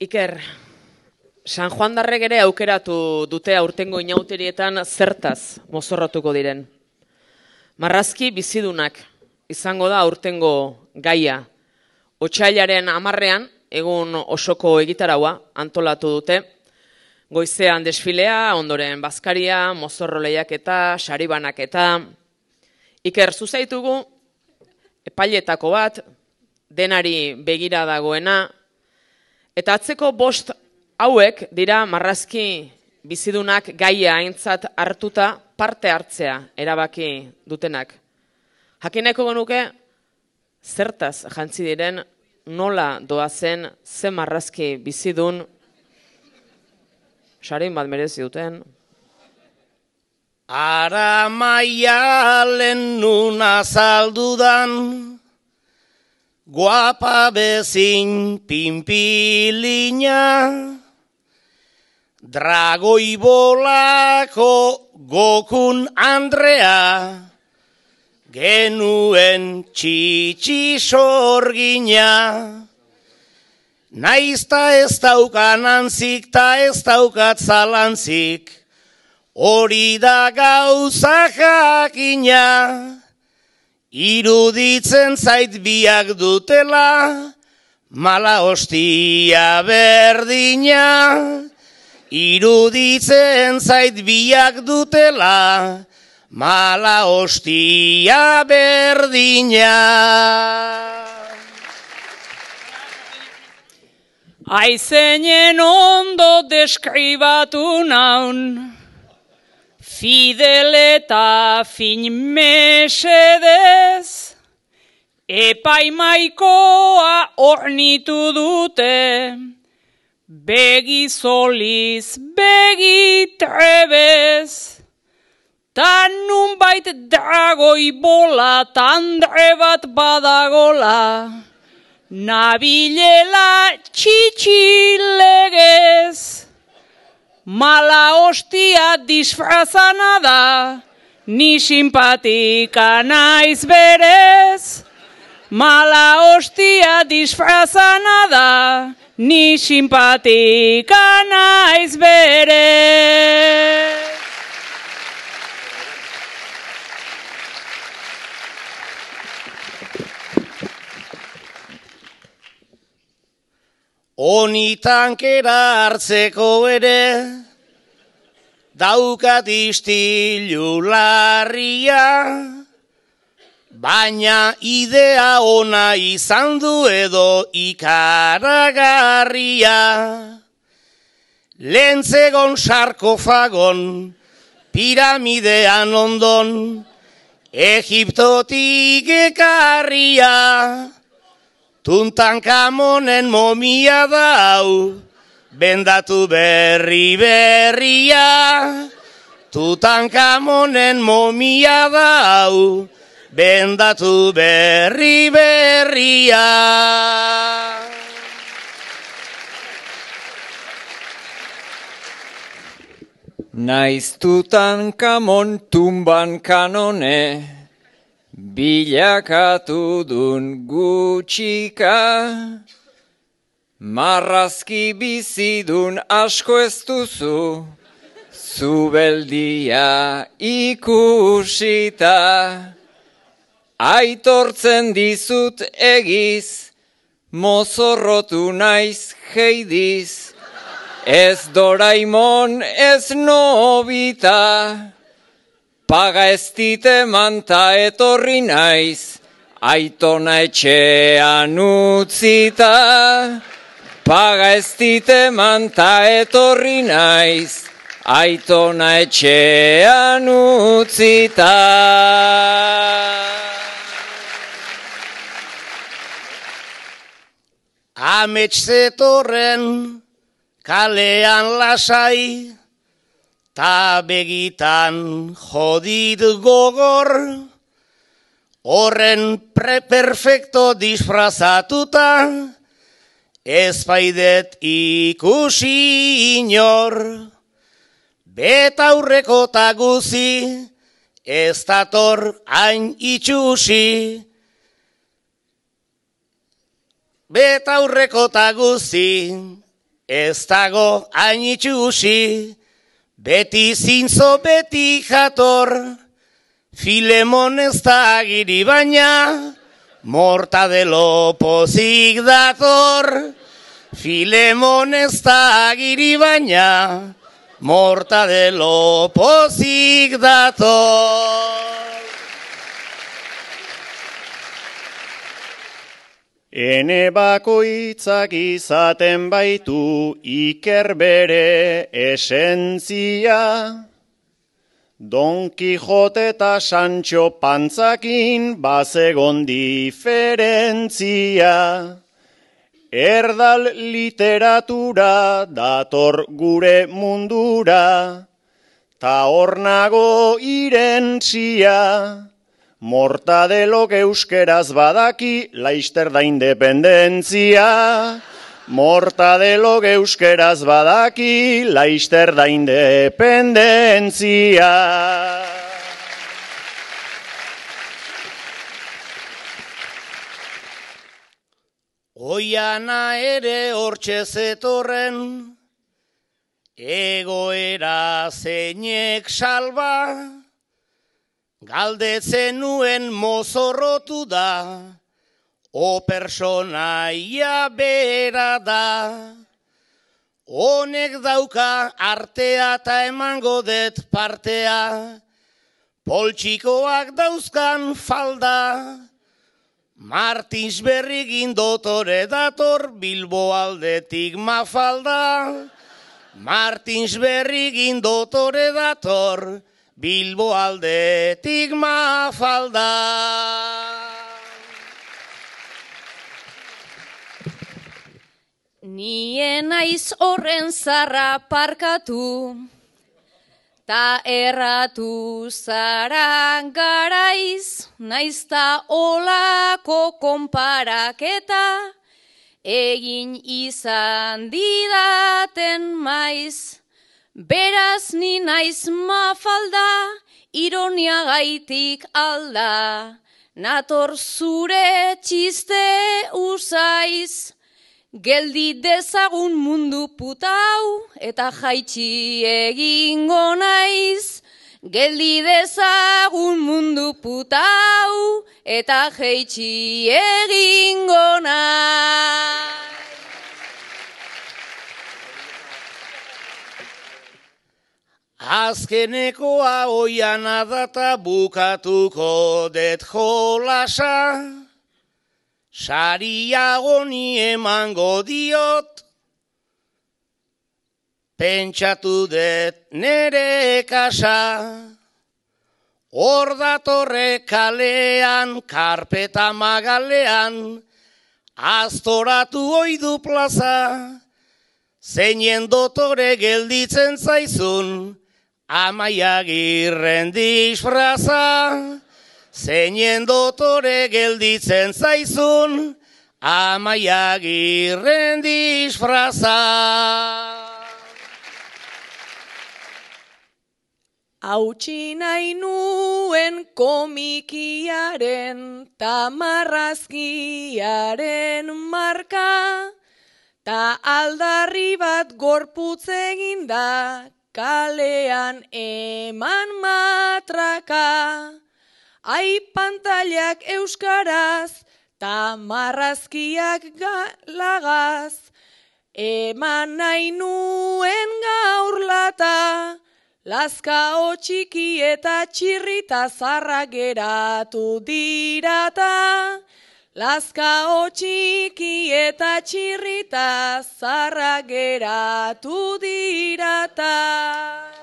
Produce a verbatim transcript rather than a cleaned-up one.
Iker, San Juan darrek ere aukeratu dute aurtengo inauterietan zertaz mozorrotuko diren. Marrazki bizidunak izango da aurtengo gaia. Otsailaren hamarrean, egun osoko egitaraua antolatu dute. Goizean desfilea, ondoren bazkaria, mozorro lehiaketa, saribanaketa. Iker, zuzaitugu epailetako bat, denari begira dagoena, eta atzeko bost hauek dira marrazki bizidunak gaia aintzat hartuta parte hartzea erabaki dutenak. Jakineko genuke, zertaz jantzi diren, nola doazen, ze marrazki bizidun, sarin bat merezi duten. Ara maialen nuna zaldudan, guapa bezin pinpilina, dragoi bolako Gokun Andrea, genuen txitsi sorgina. Naizta ez daukan antzik ta ez daukat zalantzik, hori da gauza jakina. Iruditzen zait biak dutela, mala hostia berdina. Iruditzen zait biak dutela, mala hostia berdina. Aizeinen ondo deskribatu naun, fidel eta fin mesedez, epaimaikoa ornitu dute, begi soliz, begi trebez, ta nunbait dragoi bola, tandre bat badagola, nabilela txitxilegez. Mala hostia disfrazana da, ni simpatika naiz berez. Mala hostia disfrazana da, ni simpatika naiz berez. Oni tankera hartzeko ere, daukat istilu larria, baina idea ona izan du edo ikaragarria. Lentzegon sarkofagon, piramidean ondon, Egiptotik ekarria. Tuntankamonen momia dau, bendatu berri berria. Tutankamonen momia dau, bendatu berri berria. Naiz Tutankamon tumban kanone, bilakatu dun gutxika, marrazki bizidun asko ez duzu, zubeldia ikusita. Aitortzen dizut egiz, mozorrotu naiz heidiz, ez Doraemon ez Nobita. Paga ez dite manta etorri naiz, aitona etxean utzita. Paga ez dite manta etorri naiz, aitona etxean utzita. Amets zetorren kalean lasai, ta begitan jodit gogor, horren preperfekto disfrazatuta, ez baidet ikusi inor. Betaurreko ta guzi, ez dator hain itxusi. Betaurreko ta guzi, ez dago hain itxusi, beti zintzo beti jator, Filemon ez da agiri baina, Mortadelo pozik dator, Filemon ez da agiri baina, Mortadelo pozik dator. Ene bakoitzak izaten baitu iker bere esentzia, Don Kijote eta Sancho Pantzakin bazegon diferentzia. Erdal literatura dator gure mundura, ta hor nago irentzia. Mortadelok euskeraz badaki, laister da independentzia. Mortadelok euskeraz badaki, laister da independentzia. Oiana ere hortxe zetorren, egoera zeinek salba, galdetzen nuen mozorrotu da, o personaia bera da. Honek dauka artea eta emango det partea, poltsikoak dauzkan falda, Martins Berrigin dotore dator, Bilbo aldetik Mafalda. Martins Berrigin dotore dator, Bilbo aldetik Mafalda. Nien naiz horren zarra parkatu, ta erratu zara garaiz, naizta olako konparaketa, egin izan didaten maiz. Beraz ni naiz Mafalda, ironia gaitik alda, nator zure txiste usaiz. Geldi dezagun mundu putau, eta jaitsi egingo naiz. Geldi dezagun mundu putau, eta jaitsi egingo naiz. Azkenekoa oiana data bukatuko det jolasa, saria honi emango diot, pentsatu det nere kasa. Hor datorre kalean, karpeta magalean, aztoratu oidu plaza, zeinen dotore gelditzen zaizun, Amaiagirren disfraza. Zeinen dotore gelditzen zaizun, Amaiagirren disfraza. Hautsi nahi nuen komikiaren ta marrazkiaren marka, ta aldarri bat gorputz eginda, kalean eman matraka. Ai pantailak euskaraz, ta marrazkiak galagaz, eman nahi nuen gaur lata, lazka txiki eta txirrita zarra geratu dirata. Lazka txiki eta txirrita zarra geratu dirata.